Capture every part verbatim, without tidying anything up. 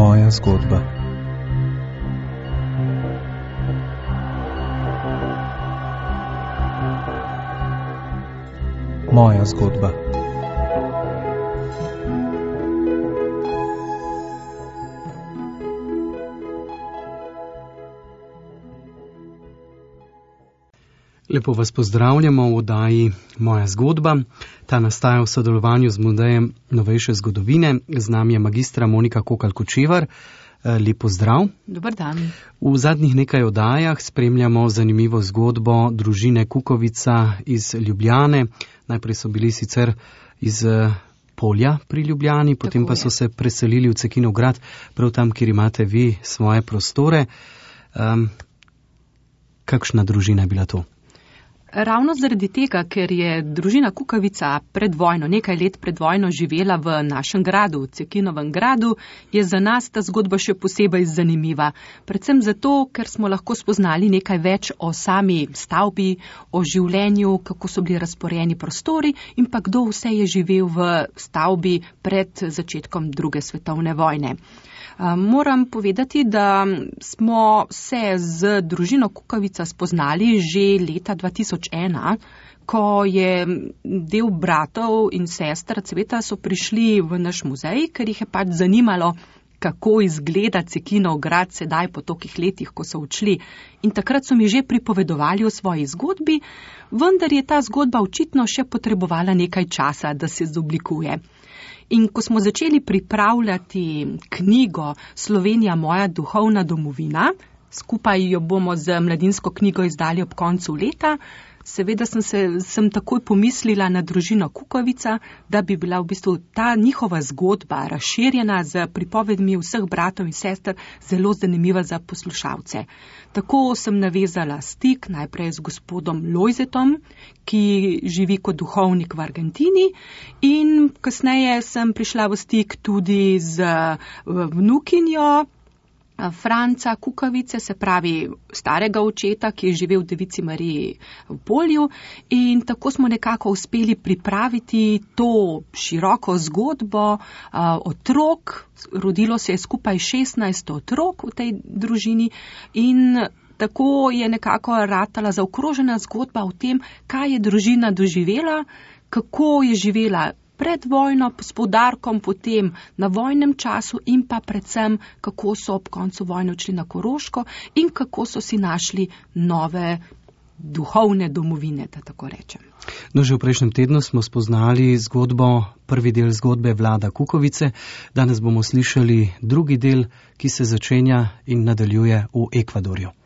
Moja zgodba. Moja zgodba. Lepo vas pozdravljamo v oddaji Moja zgodba. Ta nastaja v sodelovanju z Muzejem novejše zgodovine. Z nami je magistra Monika Kokalj-Kočevar. Lep pozdrav. Dober dan. V zadnjih nekaj oddajah spremljamo zanimivo zgodbo družine Kukovica iz Ljubljane. Najprej so bili sicer iz Polja pri Ljubljani, potem pa so se preselili v Cekinov grad, prav tam, kjer imate vi svoje prostore. Um, kakšna družina je bila to? Ravno zaradi tega, ker je družina Kukovica pred vojno, nekaj let pred vojno živela v našem gradu, v Cekinovem gradu, je za nas ta zgodba še posebej zanimiva. Predvsem zato, ker smo lahko spoznali nekaj več o sami stavbi, o življenju, kako so bili razporejeni prostori in pa kdo vse je živel v stavbi pred začetkom druge svetovne vojne. Moram povedati, da smo se z družino Kukovica spoznali že leta dva tisoč ena, ko je del bratov in sester Cveta so prišli v naš muzej, ker jih je pač zanimalo, kako izgleda Cekinov grad sedaj po tolikih letih, ko so odšli. In takrat so mi že pripovedovali o svoji zgodbi, vendar je ta zgodba očitno še potrebovala nekaj časa, da se izoblikuje. In ko smo začeli pripravljati knjigo Slovenija moja duhovna domovina, skupaj jo bomo z mladinsko knjigo izdali ob koncu leta, seveda sem, se, sem takoj pomislila na družino Kukovica, da bi bila v bistvu ta njihova zgodba razširjena z pripovedmi vseh bratov in sester zelo zanimiva za poslušalce. Tako sem navezala stik najprej z gospodom Lojzetom, ki živi kot duhovnik v Argentini, in kasneje sem prišla v stik tudi z vnukinjo Franca Kukovice, se pravi starega očeta, ki je živel v Devici Mariji v Polju, in tako smo nekako uspeli pripraviti to široko zgodbo uh, otrok. Rodilo se je skupaj šestnajst otrok v tej družini in tako je nekako ratala zaokrožena zgodba o tem, kaj je družina doživela, kako je živela pred vojno, s poudarkom potem na vojnem času in pa predvsem, kako so ob koncu vojne odšli na Koroško in kako so si našli nove duhovne domovine, da tako rečem. No, že v prejšnjem tednu smo spoznali zgodbo, prvi del zgodbe Vlada Kukovice. Danes bomo slišali drugi del, ki se začenja in nadaljuje v Ekvadorju.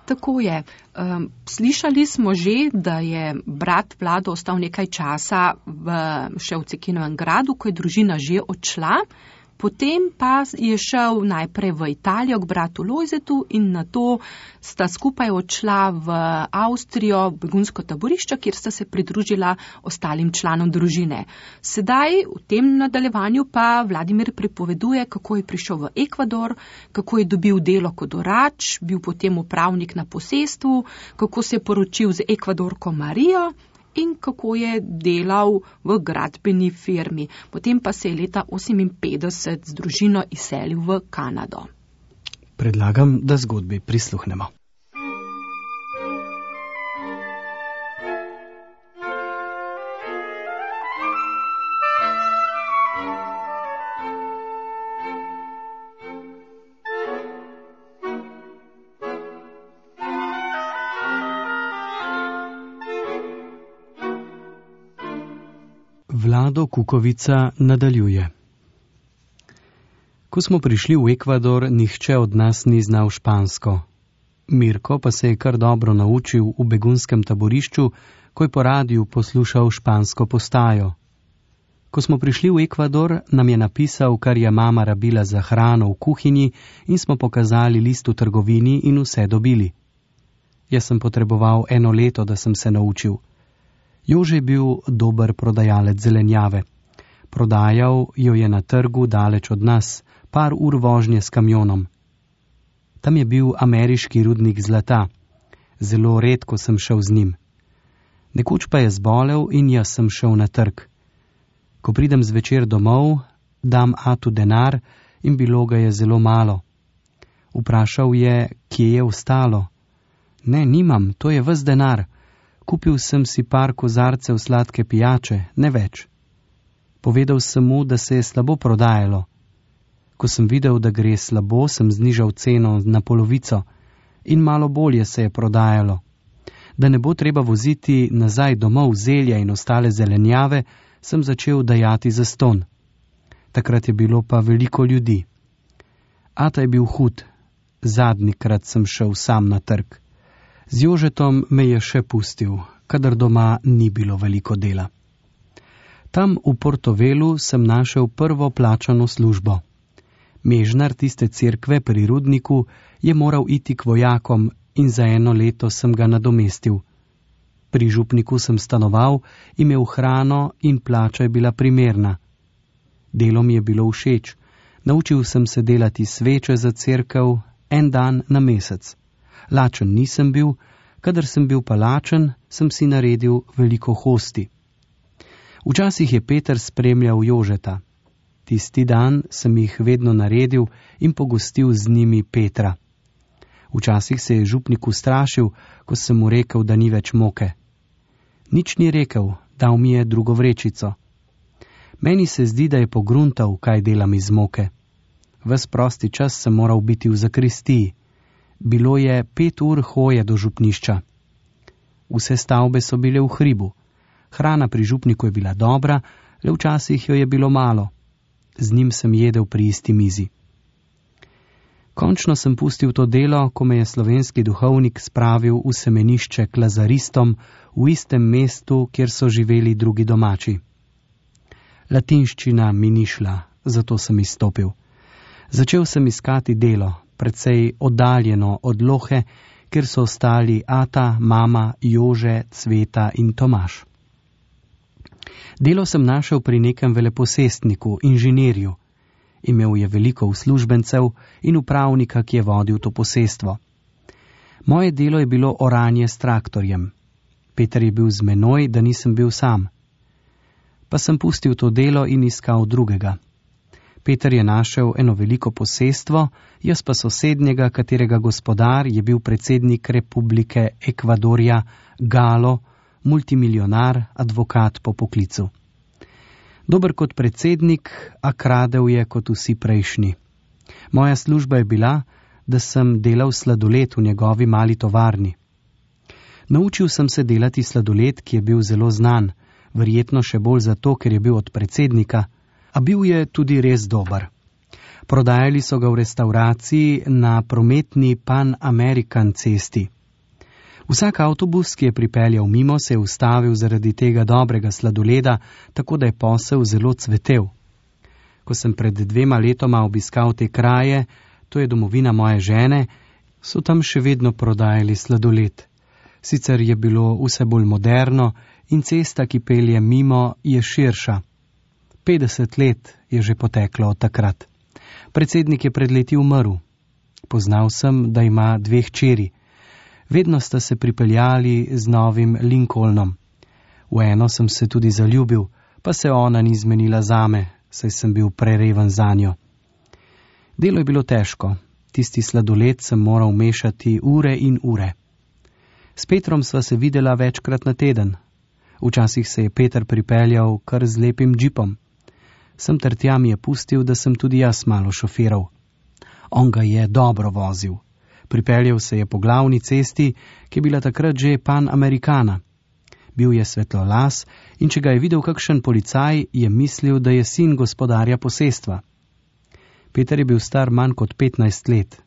Tako je. Um, slišali smo že, da je brat Vlado ostal nekaj časa v, še v Cekinovem gradu, ko je družina že odšla. Potem pa je šel najprej v Italijo k bratu Lojzetu in nato sta skupaj odšla v Avstrijo, v begunsko taborišče, kjer sta se pridružila ostalim članom družine. Sedaj v tem nadaljevanju pa Vladimir pripoveduje, kako je prišel v Ekvador, kako je dobil delo kot orač, bil potem upravnik na posestvu, kako se je poročil z Ekvadorko Marijo in kako je delal v gradbeni firmi. Potem pa se je leta oseminpetdeset z družino izselil v Kanado. Predlagam, da zgodbi prisluhnemo. Vlado Kukovica nadaljuje. Ko smo prišli v Ekvador, nihče od nas ni znal špansko. Mirko pa se je kar dobro naučil v begunskem taborišču, ko je po radiju poslušal špansko postajo. Ko smo prišli v Ekvador, nam je napisal, kar je mama rabila za hrano v kuhinji, in smo pokazali list v trgovini in vse dobili. Jaz sem potreboval eno leto, da sem se naučil. Jože je bil dober prodajalec zelenjave. Prodajal jo je na trgu daleč od nas, par ur vožnje s kamionom. Tam je bil ameriški rudnik zlata. Zelo redko sem šel z njim. Nekoč pa je zbolel in jaz sem šel na trg. Ko pridem zvečer domov, dam atu denar in bilo ga je zelo malo. Vprašal je, kje je ostalo. Ne, nimam, to je ves denar. Kupil sem si par kozarcev sladke pijače, ne več. Povedal sem mu, da se je slabo prodajalo. Ko sem videl, da gre slabo, sem znižal ceno na polovico in malo bolje se je prodajalo. Da ne bo treba voziti nazaj domov zelja in ostale zelenjave, sem začel dajati zastonj. Takrat je bilo pa veliko ljudi. Ata je bil hud. Zadnjikrat sem šel sam na trg. Z Jožetom me je še pustil, kadar doma ni bilo veliko dela. Tam v Portovelu sem našel prvo plačano službo. Mežnar tiste cerkve pri Rudniku je moral iti k vojakom in za eno leto sem ga nadomestil. Pri župniku sem stanoval, imel hrano in plača je bila primerna. Delo mi je bilo všeč. Naučil sem se delati sveče za cerkev en dan na mesec. Lačen nisem bil, kadar sem bil pa lačen, sem si naredil veliko hosti. Včasih je Peter spremljal Jožeta. Tisti dan sem jih vedno naredil in pogostil z njimi Petra. Včasih se je župnik ustrašil, ko sem mu rekel, da ni več moke. Nič ni rekel, dal mi je drugo vrečico. Meni se zdi, da je pogruntal, kaj delam iz moke. Ves prosti čas sem moral biti v zakristiji. Bilo je pet ur hoje do župnišča. Vse stavbe so bile v hribu. Hrana pri župniku je bila dobra, le včasih jo je bilo malo. Z njim sem jedel pri isti mizi. Končno sem pustil to delo, ko me je slovenski duhovnik spravil v semenišče k lazaristom v istem mestu, kjer so živeli drugi domači. Latinščina mi ni šla, zato sem izstopil. Začel sem iskati delo, precej oddaljeno od Lohe, kjer so ostali Ata, mama, Jože, Cveta in Tomaž. Delo sem našel pri nekem veleposestniku, inženirju. Imel je veliko uslužbencev in upravnika, ki je vodil to posestvo. Moje delo je bilo oranje s traktorjem. Peter je bil z menoj, da nisem bil sam. Pa sem pustil to delo in iskal drugega. Peter je našel eno veliko posestvo, jaz pa sosednjega, katerega gospodar je bil predsednik Republike Ekvadorja, Galo, multimilionar, advokat po poklicu. Dober kot predsednik, a kradel je kot vsi prejšnji. Moja služba je bila, da sem delal sladoled v njegovi mali tovarni. Naučil sem se delati sladoled, ki je bil zelo znan, verjetno še bolj zato, ker je bil od predsednika, a bil je tudi res dober. Prodajali so ga v restauraciji na prometni Pan American cesti. Vsak avtobus, ki je pripeljal mimo, se je ustavil zaradi tega dobrega sladoleda, tako da je posel zelo cvetel. Ko sem pred dvema letoma obiskal te kraje, to je domovina moje žene, so tam še vedno prodajali sladoled. Sicer je bilo vse bolj moderno in cesta, ki pelje mimo, je širša. petdeset let je že poteklo od takrat. Predsednik je pred leti umrl. Poznal sem, da ima dve hčeri. Vedno sta se pripeljali z novim Lincolnom. V eno sem se tudi zaljubil, pa se ona ni zmenila zame, saj sem bil prereven zanjo. Delo je bilo težko. Tisti sladoled sem moral mešati ure in ure. S Petrom sva se videla večkrat na teden. Včasih se je Peter pripeljal kar z lepim džipom. Sem ter tja mi je pustil, da sem tudi jaz malo šofiral. On ga je dobro vozil. Pripeljal se je po glavni cesti, ki je bila takrat že Pan Americana. Bil je svetlolas in če ga je videl kakšen policaj, je mislil, da je sin gospodarja posestva. Peter je bil star manj kot petnajst let.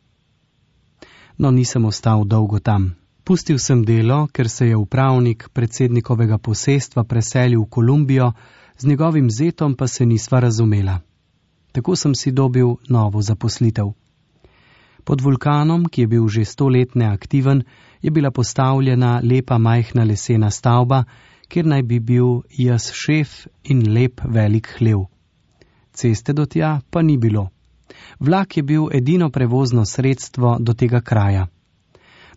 No, nisem ostal dolgo tam. Pustil sem delo, ker se je upravnik predsednikovega posestva preselil v Kolumbijo, z njegovim zetom pa se nisva razumela. Tako sem si dobil novo zaposlitev. Pod vulkanom, ki je bil že sto let neaktiven, je bila postavljena lepa majhna lesena stavba, kjer naj bi bil jaz šef in lep velik hlev. Ceste do tja pa ni bilo. Vlak je bil edino prevozno sredstvo do tega kraja.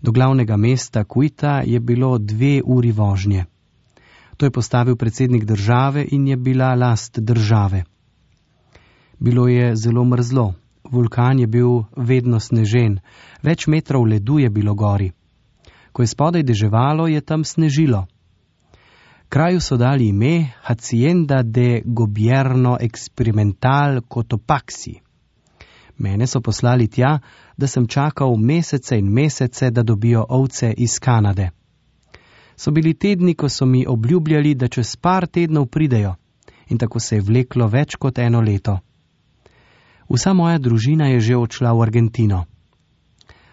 Do glavnega mesta Kuita je bilo dve uri vožnje. To je postavil predsednik države in je bila last države. Bilo je zelo mrzlo, vulkan je bil vedno snežen, več metrov ledu je bilo gori. Ko je spodaj deževalo, je tam snežilo. Kraju so dali ime Hacienda de Gobierno Experimental Cotopaxi. Mene so poslali tja, da sem čakal mesece in mesece, da dobijo ovce iz Kanade. So bili tedni, ko so mi obljubljali, da čez par tednov pridejo, in tako se je vleklo več kot eno leto. Vsa moja družina je že odšla v Argentino.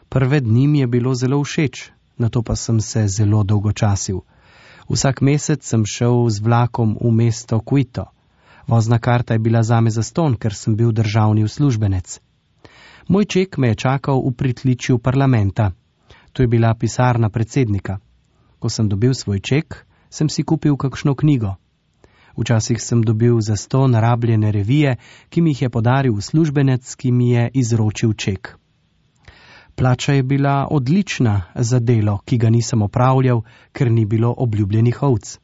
Prve dni mi je bilo zelo všeč, nato pa sem se zelo dolgočasil. Vsak mesec sem šel z vlakom v mesto Quito. Vozna karta je bila zame zastonj, ker sem bil državni uslužbenec. Moj ček me je čakal v pritličju parlamenta. To je bila pisarna predsednika. Ko sem dobil svoj ček, sem si kupil kakšno knjigo. Včasih sem dobil zastonj rabljene revije, ki mi jih je podaril uslužbenec, ki mi je izročil ček. Plača je bila odlična za delo, ki ga nisem opravljal, ker ni bilo obljubljenih ovc.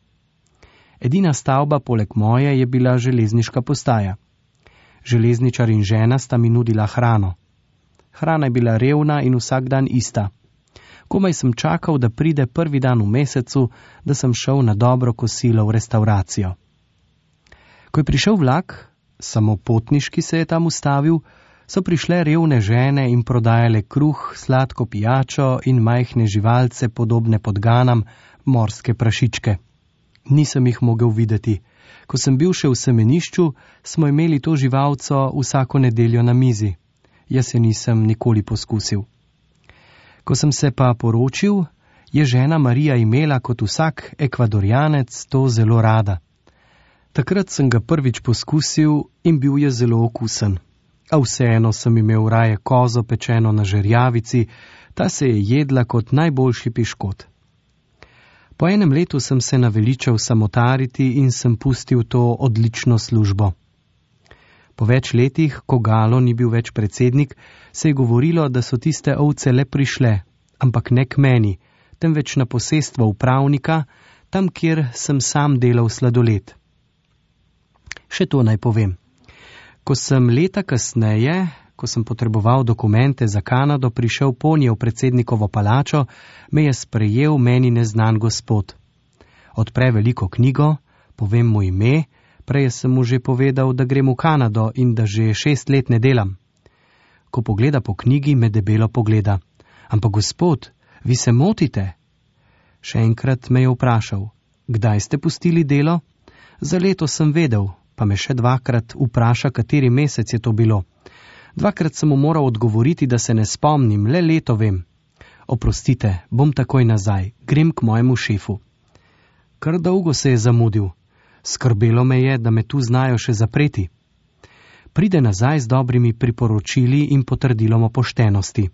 Edina stavba poleg moje je bila železniška postaja. Železničar in žena sta mi nudila hrano. Hrana je bila revna in vsak dan ista. Komaj sem čakal, da pride prvi dan v mesecu, da sem šel na dobro kosilo v restauracijo. Ko je prišel vlak, samo potniški se je tam ustavil, so prišle revne žene in prodajale kruh, sladko pijačo in majhne živalce, podobne podganam, morske prašičke. Nisem jih mogel videti. Ko sem bil še v semenišču, smo imeli to živalco vsako nedeljo na mizi. Jaz se nisem nikoli poskusil. Ko sem se pa poročil, je žena Marija imela kot vsak ekvadorjanec to zelo rada. Takrat sem ga prvič poskusil in bil je zelo okusen. A vseeno sem imel raje kozo pečeno na žerjavici, ta se je jedla kot najboljši piškot. Po enem letu sem se naveličal samotariti in sem pustil to odlično službo. Po več letih, ko Galo ni bil več predsednik, se je govorilo, da so tiste ovce le prišle, ampak ne k meni, temveč na posestvo upravnika, tam, kjer sem sam delal sladoled. Še to naj povem. Ko sem leta kasneje, ko sem potreboval dokumente za Kanado, prišel ponje v predsednikovo palačo, me je sprejel meni neznan gospod. Odpre veliko knjigo, povem mu ime, prej sem mu že povedal, da grem v Kanado in da že šest let ne delam. Ko pogleda po knjigi, me debelo pogleda. Ampak gospod, vi se motite? Še enkrat me je vprašal, kdaj ste pustili delo? Za leto sem vedel, pa me še dvakrat vpraša, kateri mesec je to bilo. Dvakrat sem mu moral odgovoriti, da se ne spomnim, le leto vem. Oprostite, bom takoj nazaj, grem k mojemu šefu. Kar dolgo se je zamudil. Skrbelo me je, da me tu znajo še zapreti. Pride nazaj z dobrimi priporočili in potrdilom o poštenosti.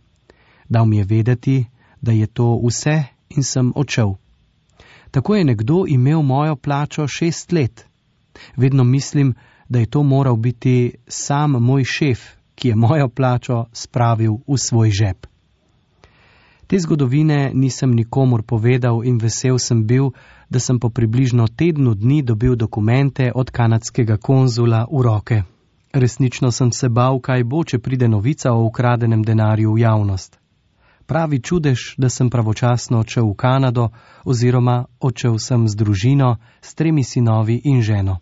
Dal mi je vedeti, da je to vse in sem odšel. Tako je nekdo imel mojo plačo šest let. Vedno mislim, da je to moral biti sam moj šef, ki je mojo plačo spravil v svoj žep. Te zgodovine nisem nikomur povedal in vesel sem bil, da sem po približno tednu dni dobil dokumente od kanadskega konzula v roke. Resnično sem se bal, kaj bo, če pride novica o ukradenem denarju v javnost. Pravi čudež, da sem pravočasno odšel v Kanado oziroma odšel sem z družino, s tremi sinovi in ženo.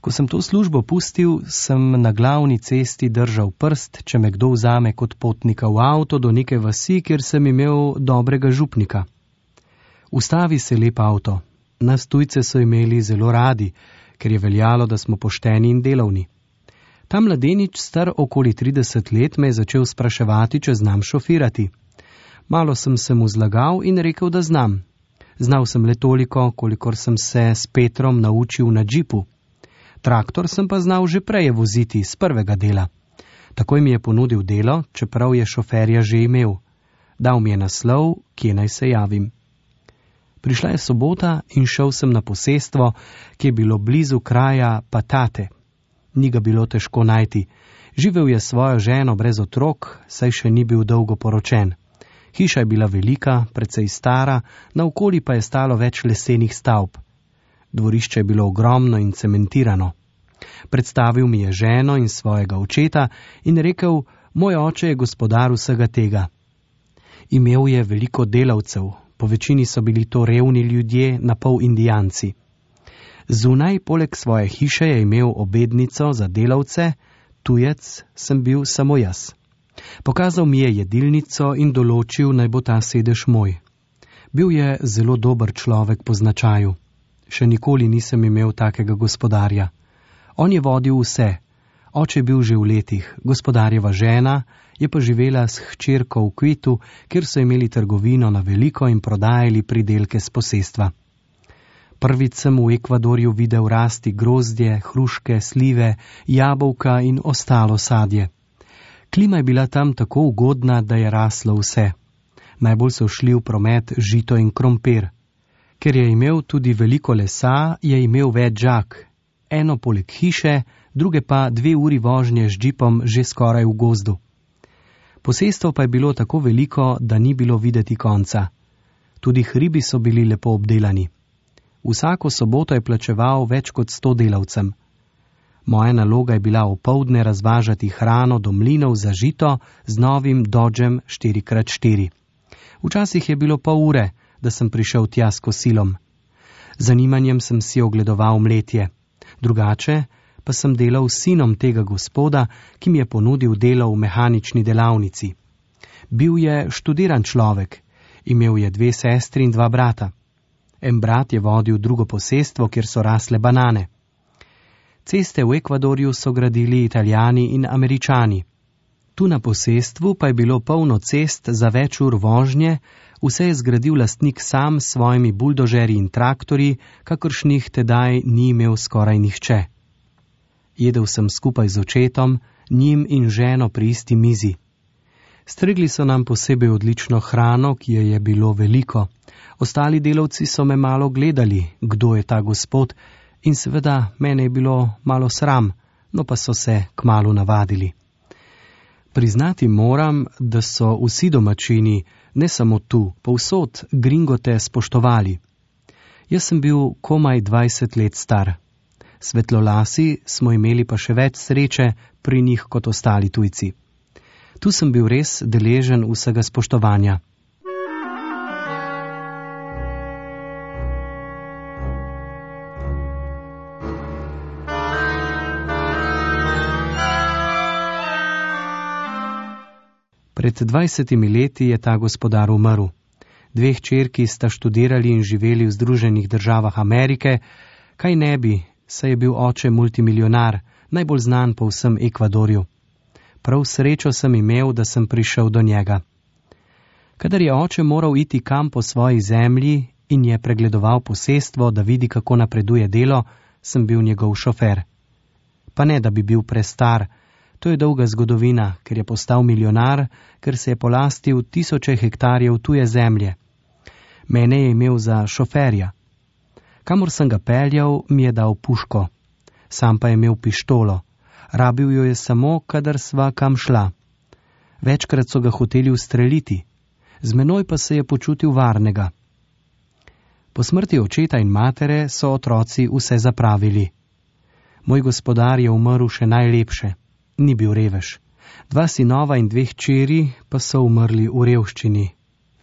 Ko sem to službo pustil, sem na glavni cesti držal prst, če me kdo vzame kot potnika v avto do neke vasi, kjer sem imel dobrega župnika. Ustavi se lep avto. Nas tujce so imeli zelo radi, ker je veljalo, da smo pošteni in delovni. Ta mladenič, star okoli trideset let, me je začel spraševati, če znam šofirati. Malo sem se mu zlagal in rekel, da znam. Znal sem le toliko, kolikor sem se s Petrom naučil na džipu. Traktor sem pa znal že prej voziti z prvega dela. Takoj mi je ponudil delo, čeprav je šoferja že imel. Dal mi je naslov, kje naj se javim. Prišla je sobota in šel sem na posestvo, ki je bilo blizu kraja Patate. Ni ga bilo težko najti. Živel je svojo ženo brez otrok, saj še ni bil dolgo poročen. Hiša je bila velika, precej stara, naokoli pa je stalo več lesenih stavb. Dvorišče je bilo ogromno in cementirano. Predstavil mi je ženo in svojega očeta in rekel, moj oče je gospodar vsega tega. Imel je veliko delavcev, po večini so bili to revni ljudje, napol Indijanci. Zunaj, poleg svoje hiše, je imel obednico za delavce, tujec sem bil samo jaz. Pokazal mi je jedilnico in določil, naj bo ta sedež moj. Bil je zelo dober človek po značaju. Še nikoli nisem imel takega gospodarja. On je vodil vse. Oče je bil že v letih, gospodarjeva žena je pa živela s hčerko v Kvitu, kjer so imeli trgovino na veliko in prodajali pridelke s posestva. Prvič sem v Ekvadorju videl rasti grozdje, hruške, slive, jabolka in ostalo sadje. Klima je bila tam tako ugodna, da je raslo vse. Najbolj so šli v promet žito in krompir. Ker je imel tudi veliko lesa, je imel več žak. Eno poleg hiše, druge pa dve uri vožnje z džipom že skoraj v gozdu. Posestvo pa je bilo tako veliko, da ni bilo videti konca. Tudi hribi so bili lepo obdelani. Vsako soboto je plačeval več kot sto delavcem. Moja naloga je bila opoldne razvažati hrano do mlinov za žito z novim Dodgem štiri krat štiri. Včasih je bilo pol ure, da sem prišel tja s kosilom. Zanimanjem sem si ogledoval mletje. Drugače pa sem delal s sinom tega gospoda, ki mi je ponudil delo v mehanični delavnici. Bil je študiran človek, imel je dve sestri in dva brata. En brat je vodil drugo posestvo, kjer so rasle banane. Ceste v Ekvadorju so gradili Italijani in Američani. Tu na posestvu pa je bilo polno cest za več ur vožnje, vse je zgradil lastnik sam s svojimi buldožerji in traktorji, kakršnih tedaj ni imel skoraj nihče. Jedel sem skupaj z očetom, njim in ženo pri isti mizi. Stregli so nam posebej odlično hrano, ki je je bilo veliko. Ostali delavci so me malo gledali, kdo je ta gospod, in seveda mene je bilo malo sram, no pa so se kmalu navadili. Priznati moram, da so vsi domačini, ne samo tu, povsod gringote spoštovali. Jaz sem bil komaj dvajset let star. Svetlolasi smo imeli pa še več sreče pri njih kot ostali tujci. Tu sem bil res deležen vsega spoštovanja. Pred dvajsetimi leti je ta gospodar umrl. Dve hčerki sta študirali in živeli v Združenih državah Amerike, kaj ne bi, saj je bil oče multimilionar, najbolj znan po vsem Ekvadorju. Prav srečo sem imel, da sem prišel do njega. Kadar je oče moral iti kam po svoji zemlji in je pregledoval posestvo, da vidi, kako napreduje delo, sem bil njegov šofer. Pa ne, da bi bil prestar, to je dolga zgodovina, ker je postal milijonar, ker se je polastil tisoče hektarjev tuje zemlje. Mene je imel za šoferja. Kamor sem ga peljal, mi je dal puško. Sam pa je imel pištolo. Rabil jo je samo, kadar sva kam šla. Večkrat so ga hoteli ustreliti. Z menoj pa se je počutil varnega. Po smrti očeta in matere so otroci vse zapravili. Moj gospodar je umrl še najlepše. Ni bil revež. Dva sinova in dve hčeri pa so umrli v revščini.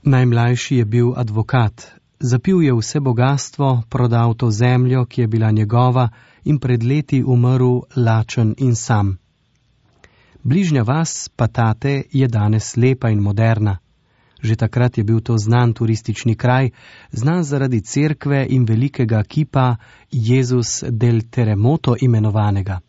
Najmlajši je bil advokat. Zapil je vse bogastvo, prodal to zemljo, ki je bila njegova, in pred leti umrl lačen in sam. Bližnja vas, Patate, je danes lepa in moderna. Že takrat je bil to znan turistični kraj, znan zaradi cerkve in velikega kipa Jezus del Terremoto imenovanega.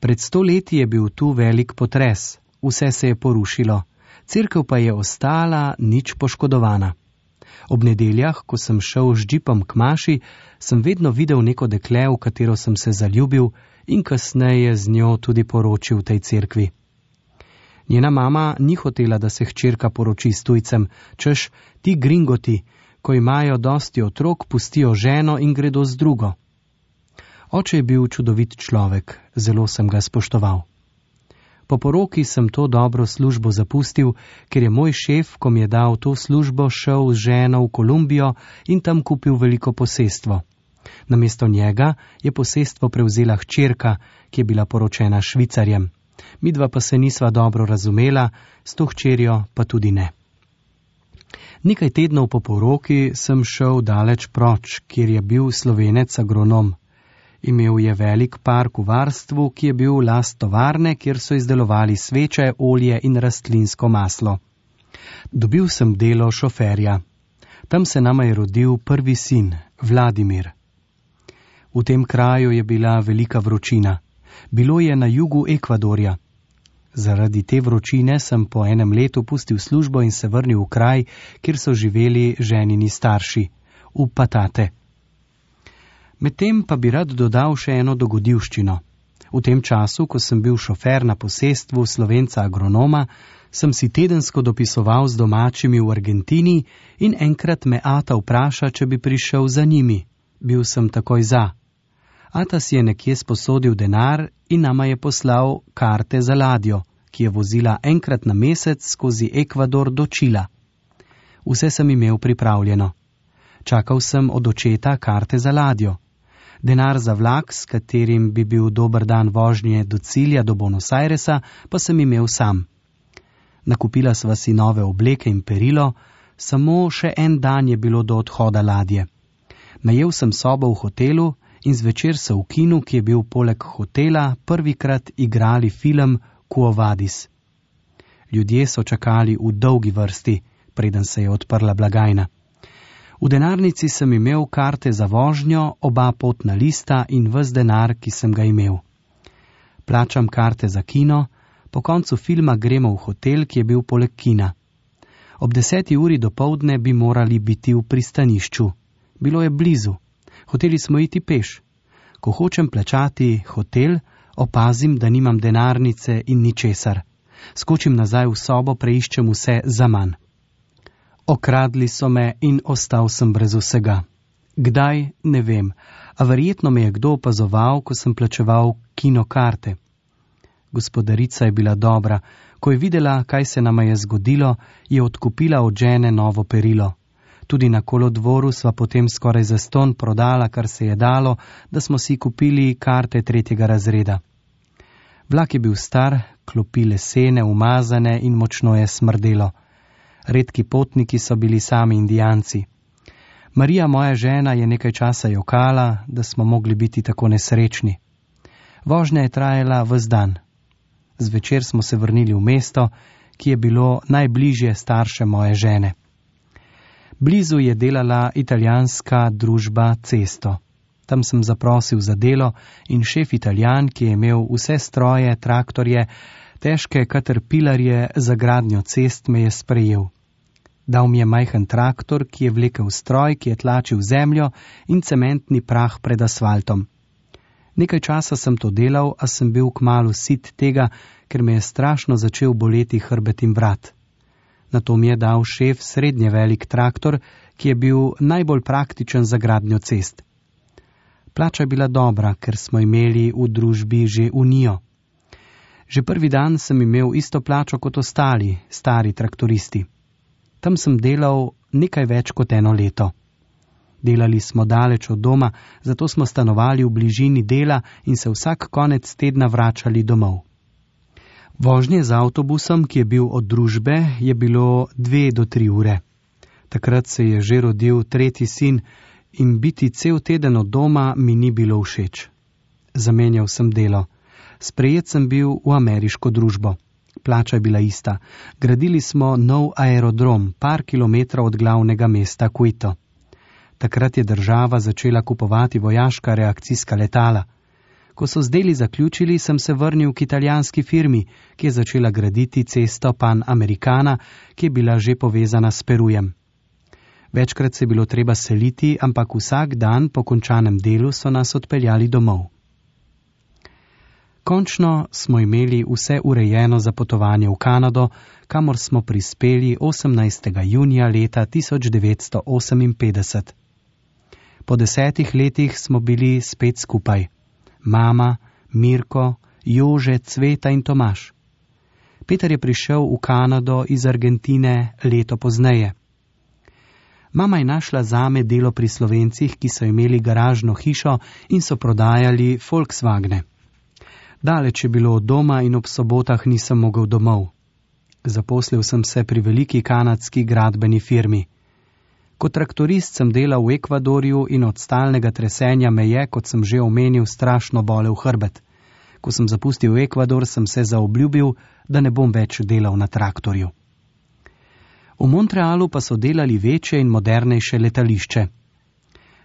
Pred sto leti je bil tu velik potres, vse se je porušilo, cerkev pa je ostala nič poškodovana. Ob nedeljah, ko sem šel z džipom k maši, sem vedno videl neko dekle, v katero sem se zaljubil in kasneje z njo tudi poročil v tej cerkvi. Njena mama ni hotela, da se hčerka poroči s tujcem, češ ti gringoti, ko imajo dosti otrok, pustijo ženo in gredo z drugo. Oče je bil čudovit človek, zelo sem ga spoštoval. Po poroki sem to dobro službo zapustil, ker je moj šef, ko mi je dal to službo, šel z ženo v Kolumbijo in tam kupil veliko posestvo. Namesto njega je posestvo prevzela hčerka, ki je bila poročena Švicarjem. Midva pa se nisva dobro razumela, s to hčerjo pa tudi ne. Nekaj tednov po poroki sem šel daleč proč, kjer je bil Slovenec agronom. Imel je velik park v varstvu, ki je bil last tovarne, kjer so izdelovali sveče, olje in rastlinsko maslo. Dobil sem delo šoferja. Tam se nama je rodil prvi sin, Vladimir. V tem kraju je bila velika vročina. Bilo je na jugu Ekvadorja. Zaradi te vročine sem po enem letu pustil službo in se vrnil v kraj, kjer so živeli ženini starši, v Patate. Medtem pa bi rad dodal še eno dogodivščino. V tem času, ko sem bil šofer na posestvu Slovenca agronoma, sem si tedensko dopisoval z domačimi v Argentini in enkrat me ata vpraša, če bi prišel za njimi. Bil sem takoj za. Ata si je nekje sposodil denar in nama je poslal karte za ladjo, ki je vozila enkrat na mesec skozi Ekvador do Čila. Vse sem imel pripravljeno. Čakal sem od očeta karte za ladjo. Denar za vlak, s katerim bi bil dober dan vožnje do cilja, do Buenos Airesa, pa sem imel sam. Nakupila sva si nove obleke in perilo, samo še en dan je bilo do odhoda ladje. Najel sem sobo v hotelu in zvečer so v kinu, ki je bil poleg hotela, prvikrat igrali film Quo Vadis. Ljudje so čakali v dolgi vrsti, preden se je odprla blagajna. V denarnici sem imel karte za vožnjo, oba potna lista in ves denar, ki sem ga imel. Plačam karte za kino, po koncu filma gremo v hotel, ki je bil poleg kina. Ob deseti uri dopoldne bi morali biti v pristanišču. Bilo je blizu. Hoteli smo iti peš. Ko hočem plačati hotel, opazim, da nimam denarnice in ničesar. Skočim nazaj v sobo, preiščem vse zaman. Okradli so me in ostal sem brez vsega. Kdaj, ne vem, a verjetno me je kdo opazoval, ko sem plačeval kinokarte. Gospodarica je bila dobra. Ko je videla, kaj se nama je zgodilo, je odkupila od žene novo perilo. Tudi na kolodvoru sva potem skoraj zastonj prodala, kar se je dalo, da smo si kupili karte tretjega razreda. Vlak je bil star, klopi lesene, umazane in močno je smrdelo. Redki potniki so bili sami Indijanci. Marija, moja žena, je nekaj časa jokala, da smo mogli biti tako nesrečni. Vožnja je trajala ves dan. Zvečer smo se vrnili v mesto, ki je bilo najbližje starše moje žene. Blizu je delala italijanska družba Cesto. Tam sem zaprosil za delo in šef Italijan, ki je imel vse stroje, traktorje, težke katerpilarje za gradnjo cest, me je sprejel. Dal mi je majhen traktor, ki je vlekel stroj, ki je tlačil zemljo in cementni prah pred asfaltom. Nekaj časa sem to delal, a sem bil kmalu sit tega, ker me je strašno začel boleti hrbet in vrat. Nato mi je dal šef srednje velik traktor, ki je bil najbolj praktičen za gradnjo cest. Plača je bila dobra, ker smo imeli v družbi že unijo. Že prvi dan sem imel isto plačo kot ostali, stari traktoristi. Tam sem delal nekaj več kot eno leto. Delali smo daleč od doma, zato smo stanovali v bližini dela in se vsak konec tedna vračali domov. Vožnje z avtobusom, ki je bil od družbe, je bilo dve do tri ure. Takrat se je že rodil tretji sin in biti cel teden od doma mi ni bilo všeč. Zamenjal sem delo. Sprejet sem bil v ameriško družbo. Plača je bila ista. Gradili smo nov aerodrom, par kilometrov od glavnega mesta Quito. Takrat je država začela kupovati vojaška reakcijska letala. Ko so z deli zaključili, sem se vrnil k italijanski firmi, ki je začela graditi cesto Pan Americana, ki je bila že povezana s Perujem. Večkrat se je bilo treba seliti, ampak vsak dan po končanem delu so nas odpeljali domov. Končno smo imeli vse urejeno za potovanje v Kanado, kamor smo prispeli osemnajstega junija leta tisoč devetsto oseminpetdeset. Po desetih letih smo bili spet skupaj. Mama, Mirko, Jože, Cveta in Tomaž. Peter je prišel v Kanado iz Argentine leto pozneje. Mama je našla zame delo pri Slovencih, ki so imeli garažno hišo in so prodajali Volkswagne. Daleč je bilo od doma in ob sobotah nisem mogel domov. Zaposlil sem se pri veliki kanadski gradbeni firmi. Kot traktorist sem delal v Ekvadorju in od stalnega tresenja me je, kot sem že omenil, strašno bolel hrbet. Ko sem zapustil Ekvador, sem se zaobljubil, da ne bom več delal na traktorju. V Montrealu pa so delali večje in modernejše letališče.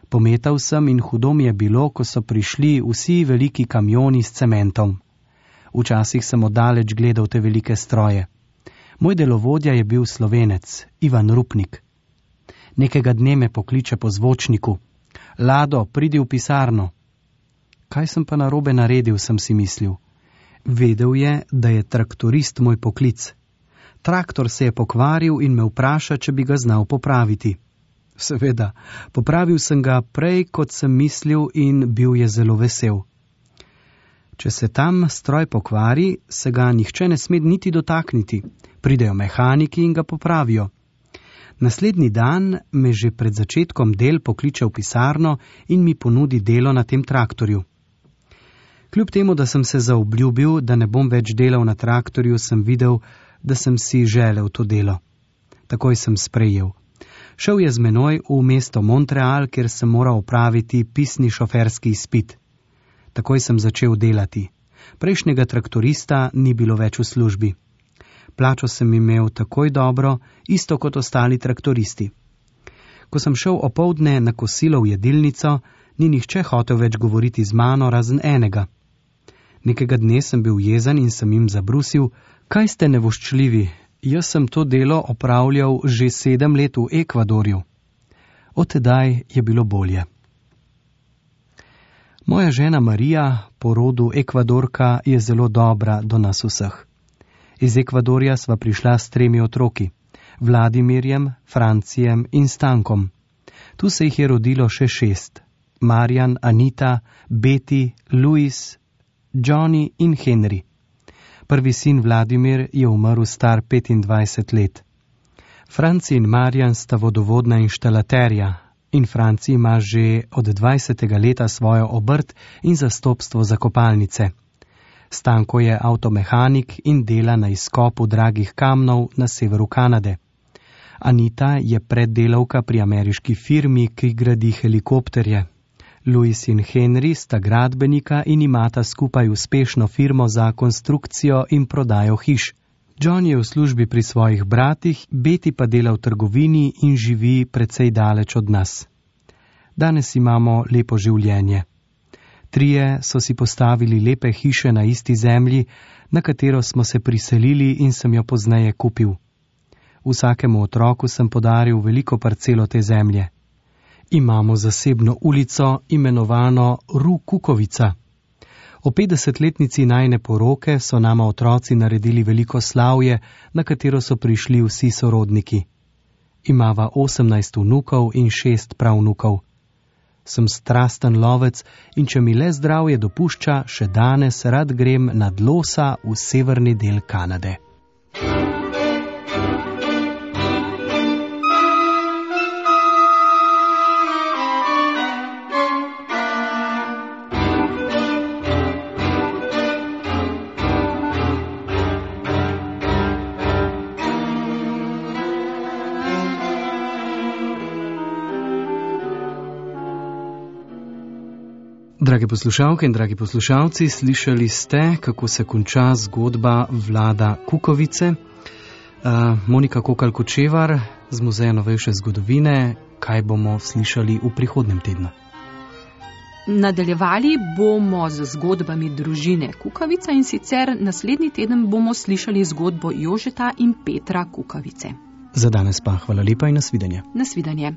Pometal sem in hudo mi je bilo, ko so prišli vsi veliki kamioni s cementom. Včasih sem oddaleč gledal te velike stroje. Moj delovodja je bil Slovenec, Ivan Rupnik. Nekega dne me pokliče po zvočniku. Lado, pridi v pisarno. Kaj sem pa narobe naredil, sem si mislil. Vedel je, da je traktorist moj poklic. Traktor se je pokvaril in me vpraša, če bi ga znal popraviti. Seveda, popravil sem ga prej, kot sem mislil, in bil je zelo vesel. Če se tam stroj pokvari, se ga nihče ne sme niti dotakniti. Pridejo mehaniki in ga popravijo. Naslednji dan me že pred začetkom del pokliče v pisarno in mi ponudi delo na tem traktorju. Kljub temu, da sem se zaobljubil, da ne bom več delal na traktorju, sem videl, da sem si želel to delo. Takoj sem sprejel. Šel je z menoj v mesto Montreal, kjer sem moral opraviti pisni šoferski izpit. Takoj sem začel delati. Prejšnjega traktorista ni bilo več v službi. Plačo sem imel takoj dobro, isto kot ostali traktoristi. Ko sem šel opoldne na kosilo v jedilnico, ni nihče hotel več govoriti z mano, razen enega. Nekega dne sem bil jezen in sem jim zabrusil, kaj ste nevoščljivi, jaz sem to delo opravljal že sedem let v Ekvadorju. Od tedaj je bilo bolje. Moja žena Marija, po rodu Ekvadorka, je zelo dobra do nas vseh. Iz Ekvadorja sva prišla s tremi otroki, Vladimirjem, Francijem in Stankom. Tu se jih je rodilo še šest. Marjan, Anita, Betty, Luis, Johnny in Henry. Prvi sin Vladimir je umrl star petindvajset let. Franci in Marjan sta vodovodna inštalaterja in Franci ima že od dvajsetega leta svojo obrt in zastopstvo za kopalnice. Stanko je avtomehanik in dela na izkopu dragih kamnov na severu Kanade. Anita je preddelavka pri ameriški firmi, ki gradi helikopterje. Luis in Henry sta gradbenika in imata skupaj uspešno firmo za konstrukcijo in prodajo hiš. John je v službi pri svojih bratih, Betty pa dela v trgovini in živi precej daleč od nas. Danes imamo lepo življenje. Trije so si postavili lepe hiše na isti zemlji, na katero smo se priselili in sem jo pozneje kupil. Vsakemu otroku sem podaril veliko parcelo te zemlje. Imamo zasebno ulico, imenovano Ru Kukovica. O petdesetletnici najine poroke so nama otroci naredili veliko slavje, na katero so prišli vsi sorodniki. Imava osemnajst vnukov in šest pravnukov. Sem strasten lovec in če mi le zdravje dopušča, še danes rad grem nad losa v severni del Kanade. Drage poslušalke in dragi poslušalci, slišali ste, kako se konča zgodba Vlada Kukovice. Uh, Monika Kokal-Kočevar z Muzeja novejše zgodovine, kaj bomo slišali v prihodnem tednu? Nadaljevali bomo z zgodbami družine Kukovica in sicer naslednji teden bomo slišali zgodbo Jožeta in Petra Kukovice. Za danes pa hvala lepa in nasvidenje. Nasvidenje.